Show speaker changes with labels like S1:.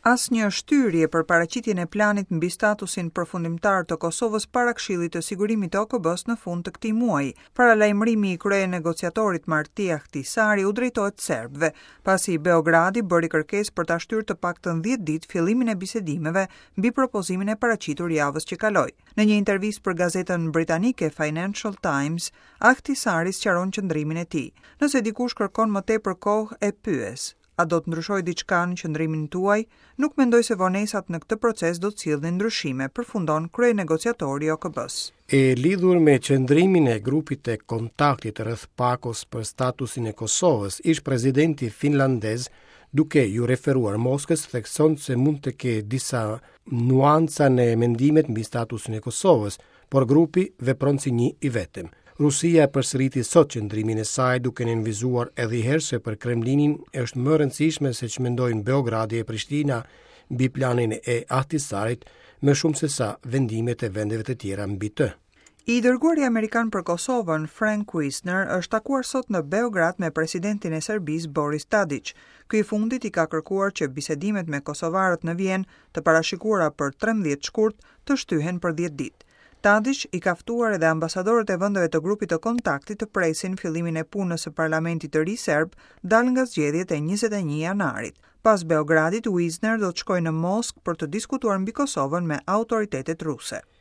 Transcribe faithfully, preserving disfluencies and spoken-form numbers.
S1: Asnjë shtyrje për paraqitjen e planit mbi statusin përfundimtar të Kosovës para Këshillit të Sigurimit të O K B-s në fund të këtij muaji. Paralajmërimi i kryenegociatorit Martti Ahtisaari u drejtohet serbëve, pasi Beogradi bëri kërkesë për ta shtyrë të paktën dhjetë ditë fillimin e bisedimeve mbi propozimin e paraqitur javës që kaloi. Në një intervistë për gazetën britanike Financial Times, Ahtisaari sqaron qëndrimin e tij. "Nëse dikush kërkon më tepër kohë, e pyes: A do të ndryshojë diçka në qëndrimin tuaj? Nuk mendoj se vonesat në këtë proces do të sillnin ndryshime", përfundon kryenegociatori i O K B-s.
S2: E lidhur me qëndrimin e grupit të kontaktit rreth pakos për statusin e Kosovës, ish presidenti finlandez, duke ju referuar Moskës, thekson se mund të ketë disa nuanca në mendimet mbi statusin e Kosovës, por grupi vepron si një i vetëm. Rusia përsëriti sot qëndrimin e saj, duke nënvizuar edhe një herë se për Kremlinin është më rëndësishme se ç'mendojnë Beogradi e Prishtina mbi planin e Ahtisarit, më shumë se sa vendimet e vendeve të tjera mbi të.
S1: I dërguari amerikan për Kosovën, Frank Wisner, është takuar sot në Beograd me presidentin e Serbisë, Boris Tadic. Ky i fundit i ka kërkuar që bisedimet me kosovarët në Vjenë, të parashikuara për trembëdhjetë shkurt, të shtyhen për dhjetë ditë. Tadic i ka ftuar edhe ambasadorët e vendeve të grupit të kontaktit të presin fillimin e punës së parlamentit të ri serb, dal nga zgjedhjet e njëzet e një janarit. Pas Beogradit, Wisner do të shkojë në Moskë për të diskutuar mbi Kosovën me autoritetet ruse.